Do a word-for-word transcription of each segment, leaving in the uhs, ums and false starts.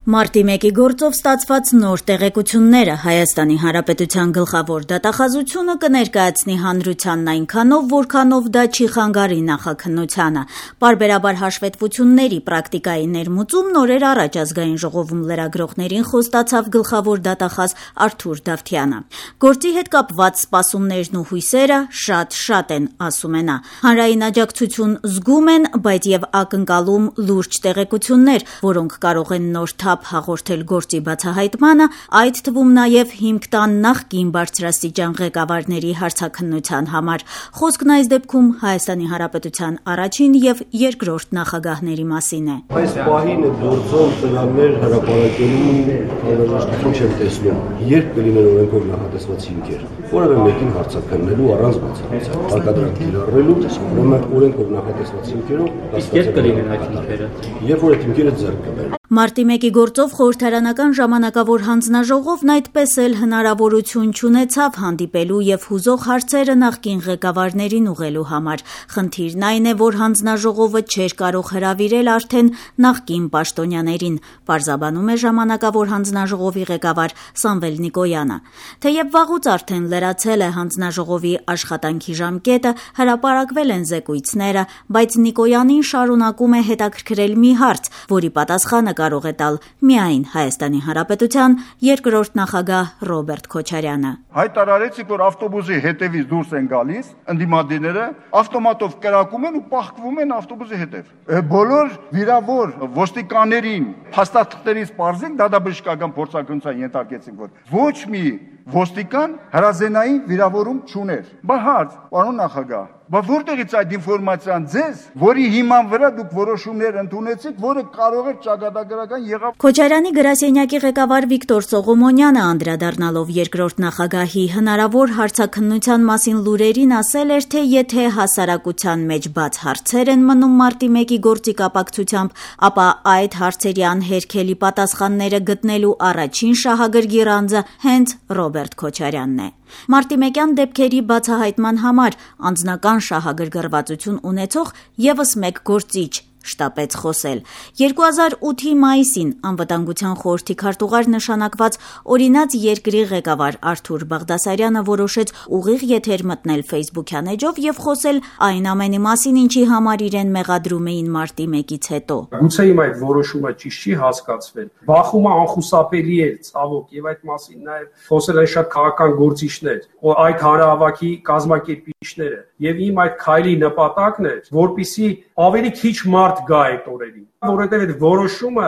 Մարտի մեկի գործով ստացված նոր տեղեկությունները Հայաստանի Հանրապետության գլխավոր դատախազությունը կներկայացնի հանրությանն այնքանով, որքանով դա չի խանգարի նախաքննությանը։ Պարբերաբար հաշվետվությունների պրակտիկայի ներմուծում նորեր առաջ Ազգային ժողովում լրագրողներին խոստացավ գլխավոր դատախազ Արթուր Դավթյանը։ Գործի հետ կապված սպասումներն ու հույսերը շատ-շատ են, ասում է նա։ Հանրային աջակցություն զգում են, բայց եւ ակնկալում լուրջ տեղեկություններ, որոնք կարող են նոր թափ հաղորդել գործի բացահայտմանը, այդ թվում նաև հիմք տան նախկին բարձրաստիճան ղեկավարների հարցաքննության համար։ Խոսքն այս դեպքում Հայաստանի Հանրապետության առաջին եւ երկրորդ նախագահների մասին է։ Այս պահին գործում ծրագրեր հրապարակելու անհրաժեշտություն չեմ տեսնում։ Երբ կլինեն օրենքով նախատեսված հիմքեր, որևէ մեկին հարցաքննելու առանց բացառության, հարկադրանք կիրառելու, ուրեմն օրենքով նախատեսված հիմքերով իսկ երբ կլինեն այդ հիմքերը։ Երբ որ այդ հիմքերը ձեռք կբերեն։ Մարտի մեկի գործով խորհրդարանական ժամանակավոր հանձնաժողովն այդպես էլ հնարավորություն չունեցավ հանդիպելու եւ հուզող հարցերը նախկին ղեկավարներին ուղղելու համար։ Խնդիրն այն է, որ հանձնաժողովը չէր կարող հրավիրել արդեն նախկին պաշտոնյաներին, պարզաբանում է ժամանակավոր հանձնաժողովի ղեկավար Սամվել Նիկոյանը։ Թեև վաղուց արդեն լրացել է հանձնաժողովի աշխատանքի ժամկետը, հրապարակվել են զեկույցները, բայց Նիկոյանին շարունակում է հետաքրքրել մի հարց, որի պատասխանը կարող է տալ միայն Հայաստանի Հանրապետության երկրորդ նախագահ Ռոբերտ Քոչարյանը։ Հայտարարեցիք, որ ավտոբուսի հետևից դուրս են գալիս ընդդիմադիրները, ավտոմատով կրակում են ու պահկվում են ավտոբուսի հետև։ Բոլոր վիրավոր ոստիկաններին փաստաթղթերից պարզենք, դատաբժշկական փորձարկումության ենթարկեցինք, որ ոչ մի ոստիկան հրազենային վիրավորում չուներ։ Բա հարց, պարոն նախագահ, բա որտեղից այդ ինֆորմացիան ձեզ, որի հիման վրա դուք որոշումներ ընդունեցիք, որը կարող է ճակատագրական եղավ։ Քոչարյանի գրասենյակի ղեկավար Վիկտոր Սողոմոնյանը անդրադառնալով երկրորդ նախագահի հնարավոր հարցաքննության մասին լուրերին ասել էր, թե եթե հասարակության մեջ բաց հարցեր են մնում մարտի մեկի գործի կապակցությամբ, ապա այդ հարցերի անհերքելի պատասխանները գտնելու առաջին շահագրգիռ անձը հենց Ռոբերտ Քոչարյանն է։ Մարտի մեկյան դեպքերի բացահայտման համար անձնական շահագրգռվածություն ունեցող ևս մեկ գործիչ շտապեց խոսել։ երկու հազար ութի մայիսին անվտանգության խորհրդի քարտուղար նշանակված օրինաց երկրի ղեկավար Արթուր Բաղդասարյանը որոշեց ուղիղ եթեր մտնել Facebook-յան էջով եւ խոսել այն ամենի մասին, ինչի համար իրեն մեղադրում էին մարտի մեկից հետո։ Գուցե իմ այդ որոշումը ճիշտ չի հասկացվել։ Բախումը անխուսափելի է, ցավոք, եւ այդ մասին նաեւ խոսել են շատ քաղաքական գործիչներ, որ այդ հանրահավաքի կազմակերպիչները, եւ իմ այդ քայլի նպատակն էր, որպիսի ավելի քիչ մարդ գա այդ օրերին, որովհետև այդ որոշումը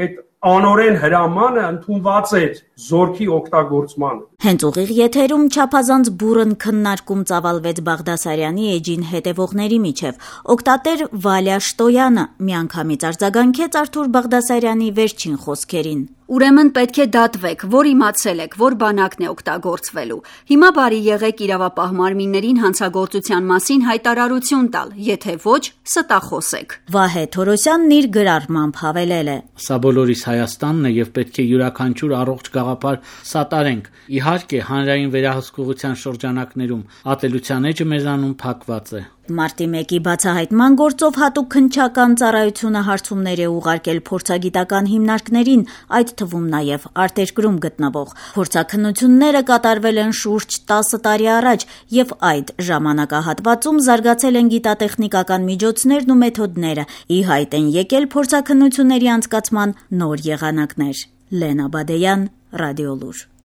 այդ անօրեն հրամանը ընդունված էր զորքի օգտագործմանը։ Հենց ուղիղ եթերում չափազանց բուռն քննարկում ծավալվեց Բաղդասարյանի էջին հետևողների միջև։ Օգտատեր Վալյա Շտոյանը միանգամից արձագանքեց Արթուր Բաղդասարյանի վերջին խոսքերին։ Ուրեմն պետք է դատվեք, որ իմացել եք, որ բանակն է օգտագործվելու։ Հիմա բարի եղեք իրավապահ մարմիններին հանցագործության մասին հայտարարություն տալ, եթե ոչ, ստախոսեք։ Վահե Թորոսյանն իր գրառմամբ հավելել է. Սա բոլորիս Հայաստանն է եւ պետք է յուրաքանչյուր առողջ գաղափար սատարենք։ Իհարկե, հանրային վերահսկողության շրջանակներում ատելության էջը մեզանում փակված է։ Մարտի մեկի բացահայտման գործով հատուկ քննչական ծառայությունը հարցումներ է ուղարկել փորձագիտական հիմնարկներին, այդ թվում նաև արտերկրում գտնվող։ Փորձաքննությունները կատարվել են շուրջ տասը տարի առաջ եւ այդ ժամանակահատվածում զարգացել են գիտատեխնիկական միջոցներն ու մեթոդները։ Ի հայտ են եկել փորձաքննությունների անցկացման նոր եղանակներ։ Լենա Բադեյան, Ռադիոլուր։